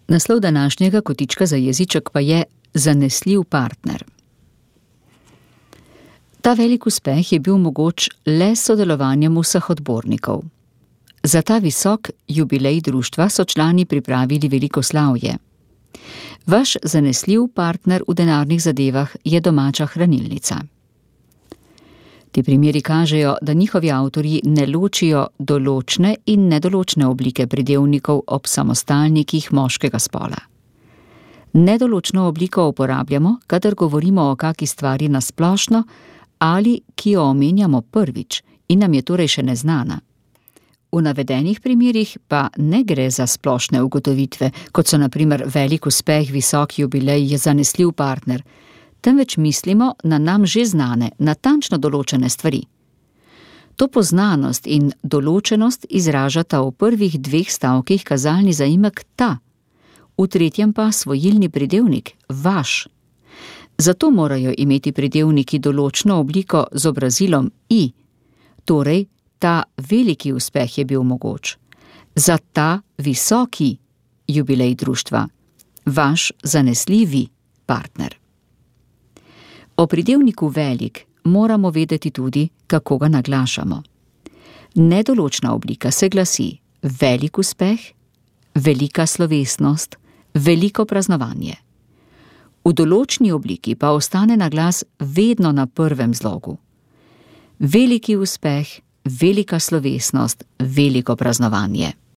Naslov današnjega kotička za jeziček pa je Zanesljiv partner. Ta velik uspeh je bil mogoč le s sodelovanjem vseh odbornikov. Za ta visok jubilej društva so člani pripravili veliko slavje. Vaš zanesljiv partner v denarnih zadevah je domača hranilnica. Ti primeri kažejo, da njihovi avtorji ne ločijo določne in nedoločne oblike pridevnikov ob samostalnikih moškega spola. Nedoločno obliko uporabljamo, kadar govorimo o kaki stvari na splošno ali ki jo omenjamo prvič in nam je torej še neznana. V navedenih primerih pa ne gre za splošne ugotovitve, kot so na primer velik uspeh, visok jubilej, je zanesljiv partner, temveč mislimo na nam že znane, natančno določene stvari. To poznanost in določenost izražata v prvih 2 stavkih kazalni zaimek ta, v tretjem pa svojilni pridevnik vaš. Zato morajo imeti pridevniki določno obliko z obrazilom i, torej ta veliki uspeh je bil mogoč. Za ta visoki jubilej društva, vaš zanesljivi partner. O pridevniku velik moramo vedeti tudi, kako ga naglašamo. Nedoločna oblika se glasi velik uspeh, velika slovesnost, veliko praznovanje. V določni obliki pa ostane naglas vedno na prvem zlogu. Veliki uspeh, velika slovesnost, veliko praznovanje.